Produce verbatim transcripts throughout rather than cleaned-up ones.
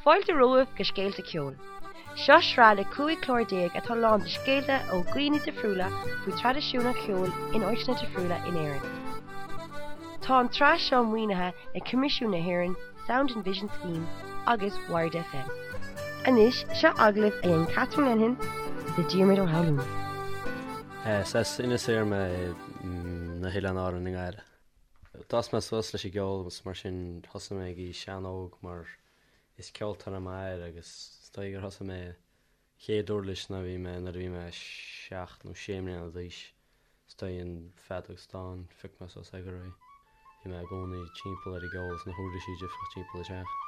Fáilte romhaibh go Scéalta Ceoil. Seo sraith le cúig chlár déag atá lán de scéalta ó dhaoine difriúla faoi traidisiún an cheoil in áiteanna difriúla in Éirinn. Tá an tsraith seo maoinithe ag Coimisiún na hÉireann Sound and Vision Scheme agus Wired FM. Anois seo agallamh a dhein Catherine Lenihan le Diarmuid Ó hAlmhain. Is Inis Oírr mé na hOileáin Árann i nGaillimh. D'fhás mé suas leis an gceol agus mar sin thosaigh mé ag aois an-óg mar is ceoltóir é m'athair agus is dóigh gur thosaigh mé chéad uirlis ná bhí mé nuair a bhí mé seacht nó sé mbliana d'aois. Is dóigh an feadóg stáin phioc mé suas é go réidh. Bhí mé i gcónaí timpeall ar an gceol is na huirlisí difriúla timpeall an teach.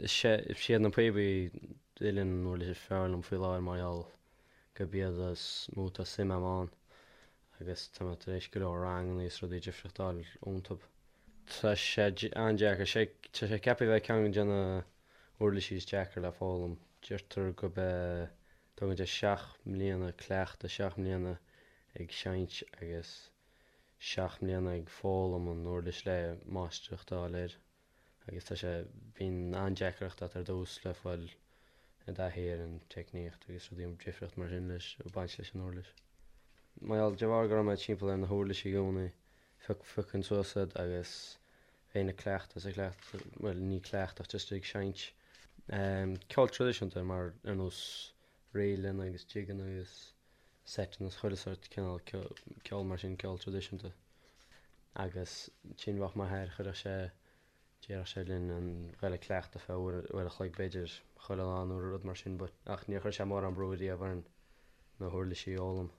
Is iad na píobaí uilleann an uirlis is fearr liom faoi láthair mar gheall gurb iad is mó atá suim agam ann agus tá mé tar éis go leor ranganna is rudaí difriúla a fháil iontu. Tá sé an-deacair, sé tá sé ceaptha a bheith ceann de na uirlisí is deacra le foghlaim. Deirtear go be tógann sé seacht mbliana cleachtadh, seacht mbliana ag seinnt agus seacht mbliana ag foghlaim an uirlis le máistreacht a fháil air. Agus tá sé bíonn an-deacracht agat ar dtús le fáil i dtaithí ar an teicníocht agus rudaí difriúla mar sin leis ag baint leis an uirlis. Mar gheall de bharr go raibh mé timpeall ar na huirlisí i gcónaí, phioc phiocainn suas iad agus bheinn ag cleachtadh is ag cleachtadh, bhuel ní cleachtadh ach just ag seinnt. Ceol traidisiúnta mar ar nós ríleanna agus jigeanna agus seiteanna is chuile sórt cineál ceol mar sin, ceol traidisiúnta. Agus ansin bheadh m'athair, chuirfeadh sé Déarfadh sé linn an ghoil ag cleachtadh feadh uair uair a chloig b'fhéidir chuile lá nó rud mar sin but ach níor chuir sé mórán brú riamh orainn na huirlisí a fhoghlaim.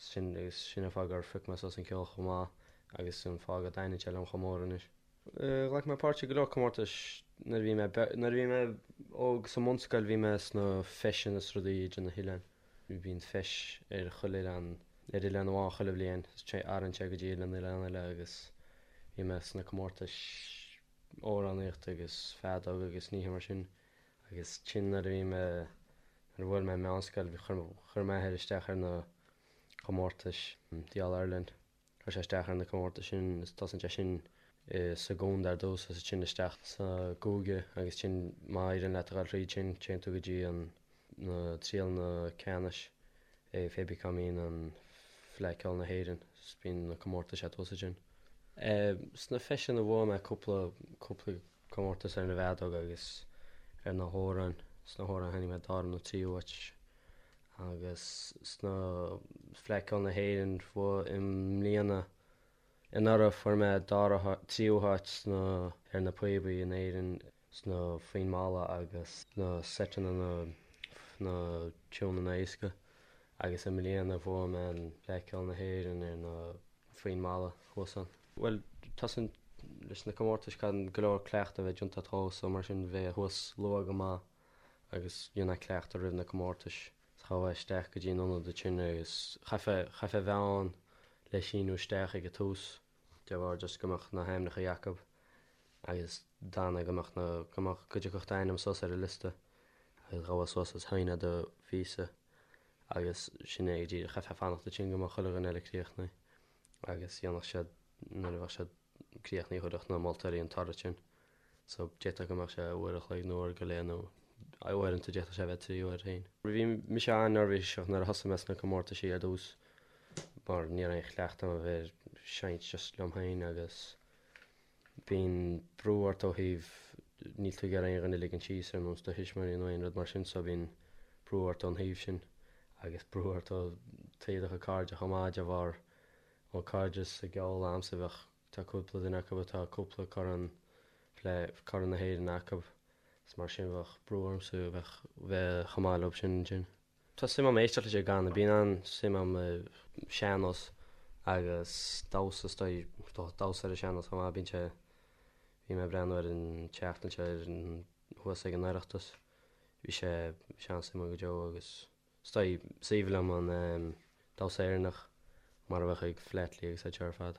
Sin agus sin an fáth gur phioc mé suas an ceol chomh maith agus an fáth go dtaitníonn sé liom chomh mór anois. Ghlac mé páirt i go leor comórtais nuair a bhí mé nuair a bhí mé óg sa mbunscoil bhí mé sna feiseanna is rudaí idir na hoileáin. Bíonn feis ar chuile oileán ar oileán amháin chuile bhliain is athraíonn sé go dtí oileán oileán eile agus bhí mé sna comórtais amhránaíochta agus feadóg agus nithe mar sin agus ansin nuair a bhí mé nuair a bhuail mé meánscoil bhí chuir chuir m'athair isteach ar na comórtais the All Ireland chuir sé isteach ar na comórtais sin is tosaíonn sé sin sa gcontae ar dtús agus ansin isteach sa gcúige agus ansin má éiríonn leat a dhul thríd sin téann tú go dtí an na trialacha ceannais Fé cá mbíonn an Fleadh Cheoil na hÉireann, 's bíonn na comórtais thuas ansin. Sna feiseanna bhuaigh mé cúpla cúpla comórtas ar na bhfeadóg agus ar na hamhráin. Sna hamhráin tháinig mé dara nó tríú háit agus sna Fleadh Cheoil na hÉireann bhuaigh i mbliana anuraidh fuair mé dara tríú háit sna ar na píobaí in Éirinn sna foinn mhalla agus na seiteanna na na tiúineanna éasca agus i mbliana bhuaigh mé an Fleadh Cheoil na hÉireann ar na foinn mhalla thuas ann. Bhuel tosaíonn leis na comórtais caithfidh go leor cleachtadh a bheith déanta agat so mar sin bheith thuas luath go maith agus dhéanamh cleachtadh roimh na comórtais. Ghabhfá isteach go dtí an ionad ansin agus chaithfeá chaithfeá bheith ann le síniú isteach ag an tús de bharr just go mbeadh na hainmneacha acu agus d'fhanadh go mbeadh na go mbeadh go dtiocfadh d'ainm suas ar an liosta agus ghabhfá suas is shínfeá do phíosa agus sin é go díreach chaithfeá fanacht ansin go mbeadh chuile dhuine eile críochnaithe agus dhéanfadh siad nuair a bheadh siad críochnaithe thabharfadh na moltóirí an toradh sin. So d'fhéadfadh go mbeadh sé uair a chloig nó uair go leith nó uaireanta d'fhéadfadh sé bheith trí uair féin. Bhí mise an-neirbhíseach nuair a thosaigh mé sna comórtaisí ar dtús mar ní raibh aon chleachtadh agam a bheith ag seinnt just liom féin agus bíonn brú ort ó thaobh níl tú ag iarraidh aon dhuine a ligean síos ar nós do thuismitheoirí nó aon rud mar sin so bíonn brú ort ón thaobh sin agus brú ort ó taobh do chuid cairde chomh maith de bharr ó cairde sa gceol a'msa bheadh tá cúpla duine acu atá cúpla corn le Corn na hÉireann acu is mar sin bheadh brú ormsa bheadh bheith chomh maith leo sin ansin. Tá suim agam éisteacht leis an gcanadh, bíonn an-suim agam i sean-nós agus damhsa is dóigh damhsa ar an sean-nós chomh maith, bíonn sé bhí mé ag breathnú ar an tseachtain seo ar an thuas ag an Oireachtas, bhí sé bhí sé an-suimiúil go deo agus is dóigh is aoibhinn liom an damhsa Éireannach mar a bheadh ag Flatley agus iad seo ar fad.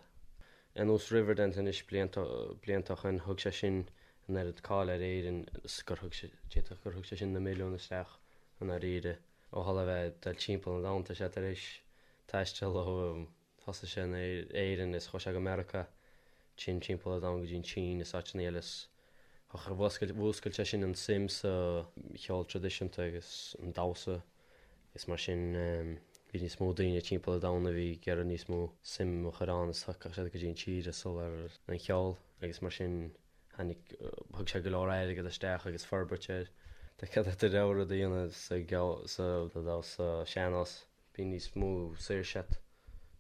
Ar nós Riverdance anois blianta blianta ó shin thug sé sin an oiread cáil ar Éirinn is gur thug sé d'fhéadfadh gur thug sé sin na milliúin isteach i ndáiríre ó tharla a bheith ag dul timpeall an domhain tá sé tar éis taisteal ó thosaigh sé in Éirinn is chuaigh sé go Meiriceá ansin timpeall an domhain go dtí an tSín is áiteanna eile is mhúscail mhúscail sé sin an suim sa cheol traidisiúnta agus an damhsa is mar sin bhí níos mó daoine timpeall an domhain a bhí ag iarraidh níos mó suim a chur ann is thiocfadh siad go dtí an tír is dul ar an cheol agus mar sin tháinig thug sé go leor airgead isteach agus forbairt air. Tá cead agat do rogha rud a dhéanamh sa gceol sa damhsa sean-nós. Bíonn níos mó saoirse agat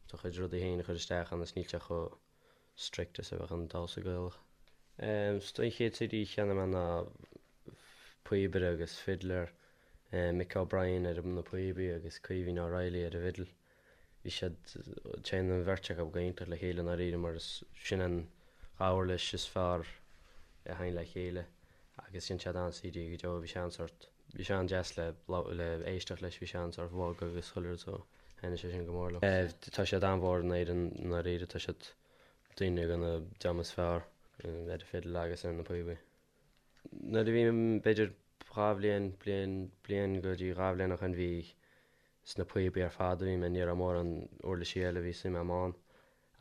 do chuid rudaí féin a chur isteach ann is níl sé chomh strict is a bheadh an damhsa Gaelach. Is dóigh an chéad CD a cheannaigh mé ná píobaire agus fiddler, Mick O'Brien ar na píobaí agus Caoimhín O'Reilly ar an bhfidil. Bhí siad, téann an bheirt acu go hiontach le chéile i ndáiríre mar is sin an dhá uirlis is fearr a théann le chéile agus dhein siad an-CD go deo, bhí sé an-sort, bhí sé an-deas le le éisteacht leis, bhí sé an-sort bhog agus chuile rud so thaitnigh sé sin go mór liom. Tá siad an-mhór in Éirinn i ndáiríre, tá siad duine de na dream is fearr ar an bhfidil agus ar na píobaí. Nuair a bhí b'fhéidir dhá bhliain, bliain, bliain go dtí dhá bhliain ó shin bhí sna píobaí ar fad a bhí mé, ní raibh mórán uirlisí eile a bhí suim agam ann.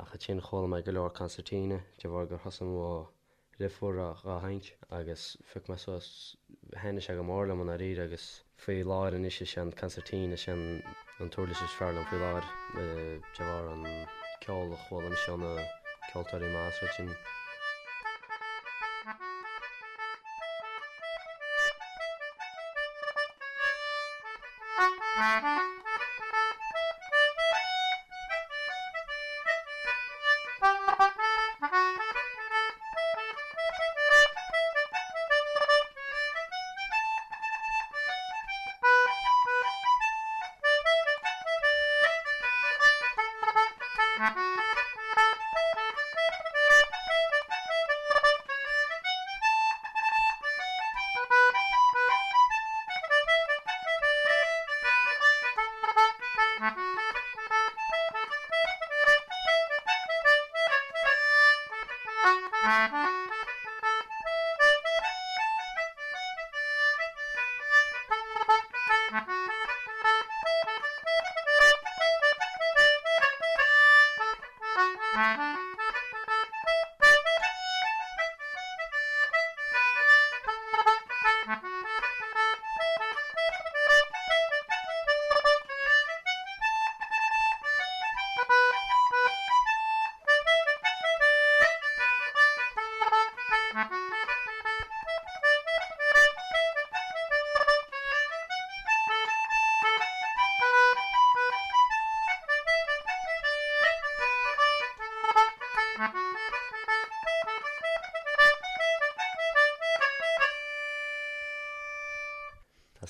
Ach ansin chuala mé go leor concertina de bharr gur thosaigh mo dheirfiúr á sheinnt agus phioc mé suas, thaitnigh sé go mór liom i ndáiríre agus faoi láthair anois is é an concertina is é an t-uirlis is fearr liom faoi láthair de bharr an ceol a chuala mise ó na ceoltóirí maithe is rud sin.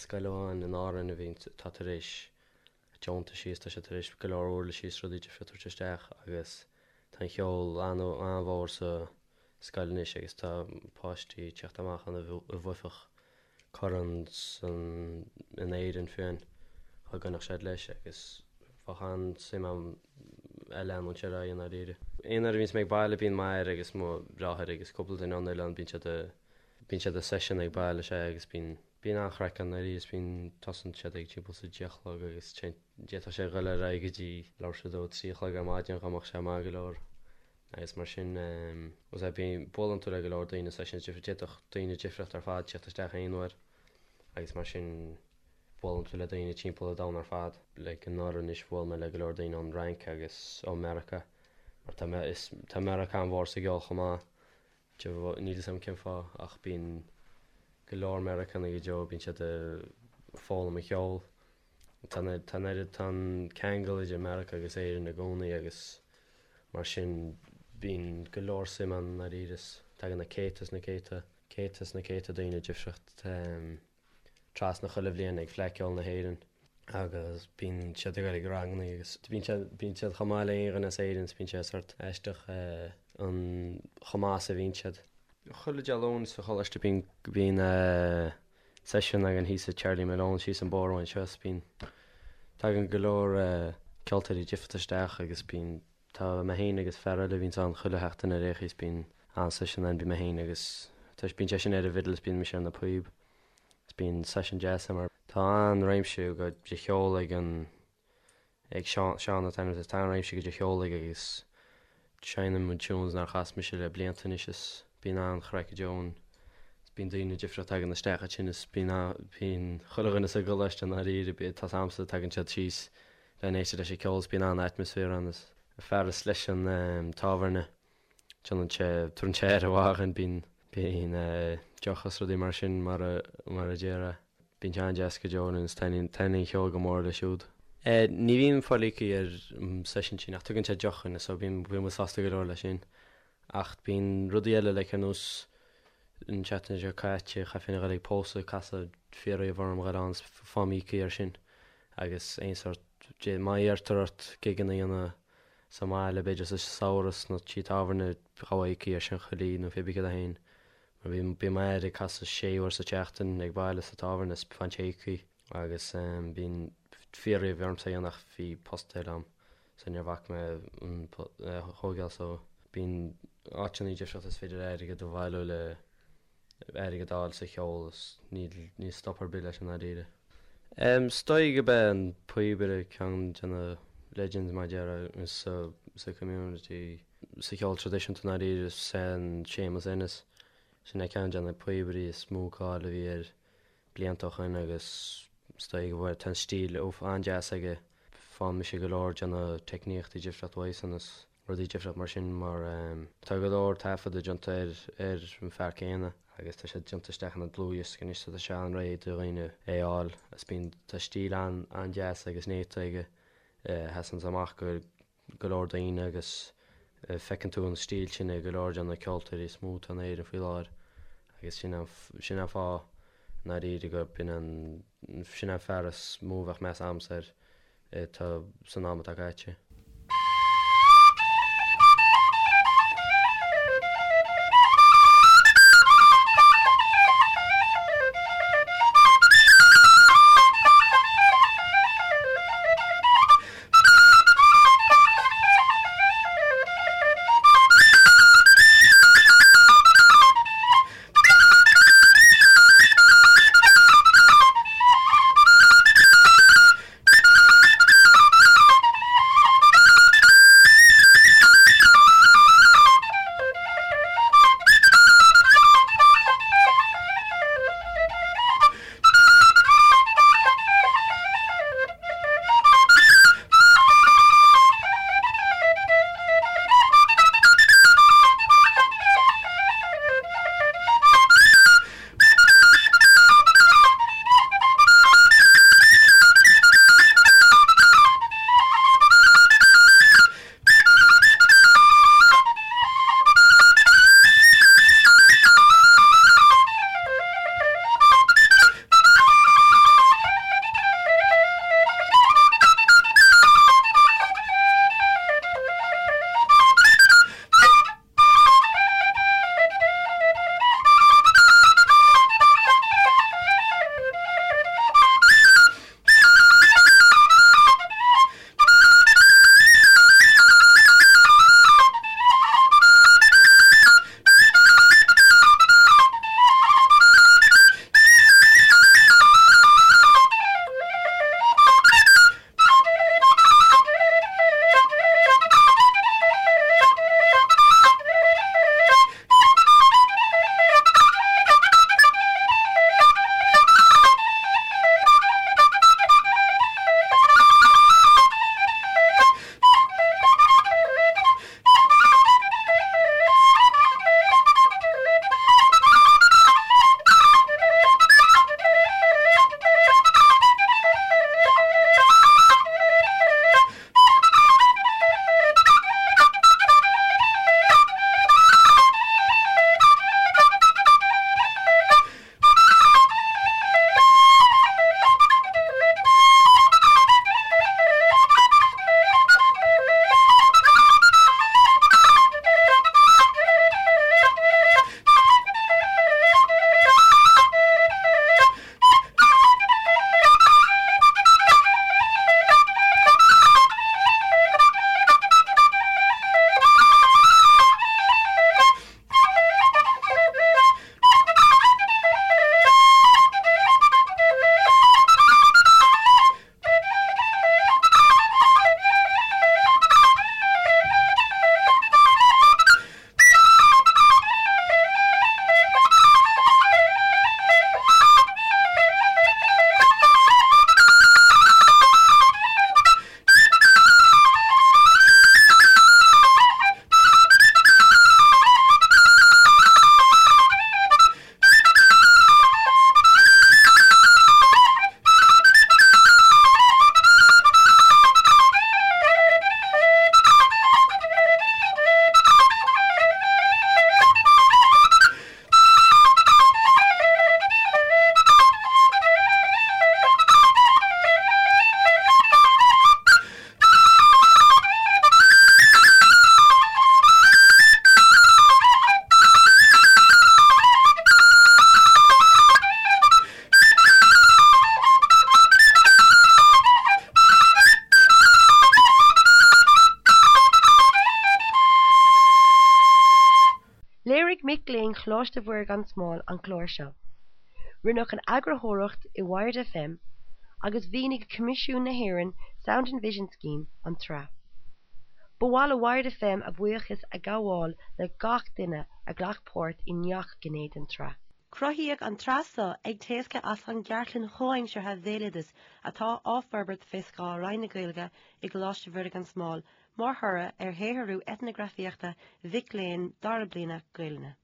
scoil amháin in Árainn a bhíonn tá tar éis deontaisí is tá sé tar éis go leor uirlisí is rudaí difriúla a thabhairt isteach agus tá an cheol an-mhór sa scoil anois agus tá páistí ag teacht amach ann a bhuaifeadh corn san in Éirinn fiú dá gcoinneodh siad leis agus bheadh an-suim agam é leanúint ar aghaidh i ndáiríre. Aon uair a bhíonns mé ag baile bíonn m'athair agus mo dheartháir agus cúpla duine ón oileán bíonn siad bíonn siad ag session ag baile sea agus bíonn Bíonn an-chraic ann arís is bíonn, tosaíonn siad ag timpeall is a deich a chlog agus d'fhéadfadh sé a dhul ar aghaidh go dtí leathuair tar éis a dó, trí a chlog ar maidin dá mbeadh sé maith go leor agus mar sin was é bíonn, buaileann tú le go leor daoine sessions difriúla, d'fhéadfadh daoine difriúla ar fad teacht isteach aon uair agus mar sin buaileann tú le daoine timpeall an domhain ar fad. Like anuraidh anois bhuail mé le go leor daoine ón Fhrainc agus ó Meiriceá mar tá, is, tá Meiriceá an-mhór sa gceol chomh maith. Níl fhios agam cén fáth ach bíonn go leor Meiriceánaigh go deo, bíonn siad ag foghlaim an cheoil. Tá tá an oiread, tá an ceangal idir Meiriceá agus Éirinn i gcónaí agus mar sin bíonn go leor suim ann i ndáiríre. Tagann na céadta is na céadta, céadta is na céadta daoine difriúla trasna chuile bhliain ag Fleadh Cheoil na hÉireann agus bíonn siad ag dul ag ranganna agus bíonn siad, bíonn siad chomh maith le aon dhuine as Éirinn is bíonn sé sort aisteach an chomh maith is a bhíonn siad. Chuile Dé Luain sa choláiste bíonn, bíonn seisiún againn thíos i Charlie Malone síos an bóthar uainn seo is bíonn, tagann go leor ceoltóirí difriúla isteach agus bíonn, tá mé féin agus fear eile a bhíonns ann chuile sheachtain ar aon chaoi is bíonn an-seisiún ann, bíonn mé féin agus tá, bíonn seisean ar an bhfidil is bíonn mise ar na píob. Is bíonn seisiún deas ann mar tá an-réimse de cheol ag an ag Seán, Seán atá ann, tá an-réimse de cheol aige agus seinneann muid tunes nár chas mise le blianta anois is bíonn an-chraic go deo ann. Is bíonn daoine difriúla tagann isteach ansin is bíonn bíonn chuile dhuine sa gcoláiste i ndáiríre, tá 's a'msa, tagann siad síos le n-éisteacht leis an ceol is bíonn an-atmaisféar ann is fear is leis an tábhairne. Déanann sé, tabharann sé aire mhaith dhúinn, bíonn, bíonn deoch is rudaí mar sin mar a, mar a déarfá. Bíonn sé an-deas go deo agus taitníonn, taitníonn an cheol go mór leis siúd. Ní bhíonn fáil íoctha ar an session sin ach tugann sé deoch dhúinn so bíonn, bíonn muid sásta go leor leis sin. Ach bíonn rudaí eile like ar nós an tseachtain seo caite chaithfinn a dhul ag pósadh, casadh fiafraíodh orm a dhul ann is faighim íoctha ar sin agus aon sórt, má iarrtar ort gigeanna a dhéanamh sa mbaile, b'fhéidir sa samhradh sna tithe tábhairne, ghabhfá íoctha ar sin chuile oíche nó pé bith céard é féin. Mar bhí, bíonn m'athair ag casadh sé uair sa tseachtain ag baile sa tábhairne is faigheann sé íoctha agus bíonn fiafraíodh ormsa é a dhéanamh ach bhí post eile agam so níor bhac mé an é a thógáil so bíonn áiteanna difriúla is féidir airgead a bhailiú le airgead a fháil sa cheol is níl, níl stop ar bith leis i ndáiríre. Is dóigh gurb é an píobaire ceann de na legends mar a déarfá sa, sa community sa cheol traidisiúnta i ndáiríre is é an Séamus Ennis. Sin é ceann de na píobairí is mó cáil a bhí air blianta ó shoin agus is dóigh go bhfuil, tá an stíl an-deas aige. Faigheann mise go leor de na teicníochtaí difriúla uaidhsean is. rudaí difriúla mar sin mar tá go leor taifeadadh déanta ar ar an fear céanna agus tá sé déanta isteach ina dlúthdhiosca anois so tá sé an-réidh do dhaoine é a fháil agus bíonn tá stíl an an-deas agus néata aige a sheasanns amach go go leor daoine agus feiceann tú an stíl sin ag go leor de na ceoltóirí is mó atá in Éirinn faoi láthair agus sin an sin an fáth i ndáiríre gur b'in an sin an fear is mó a bheadh meas a'msa air atá san am atá caite. Choláiste Mhuire gan Smál an clár seo. Rinneadh an eagarthóireacht i Wired FM agus mhaoinigh Coimisiún na hÉireann Sound and Vision Scheme an tsraith. Ba mhaith le Wired FM a bhuíochas a ghabháil le gach duine a ghlac páirt i ngach gné den tsraith. Cruthaíodh an tsraith seo ag teascadh as an gcartlann chomhaimseartha bhéaloidis atá á forbairt faoi scáth Roinn na Gaeilge i gColáiste Mhuire gan Smál mar thoradh ar shaothrú eitneagrafaíochta mhic léinn dara bliana Gaelainne.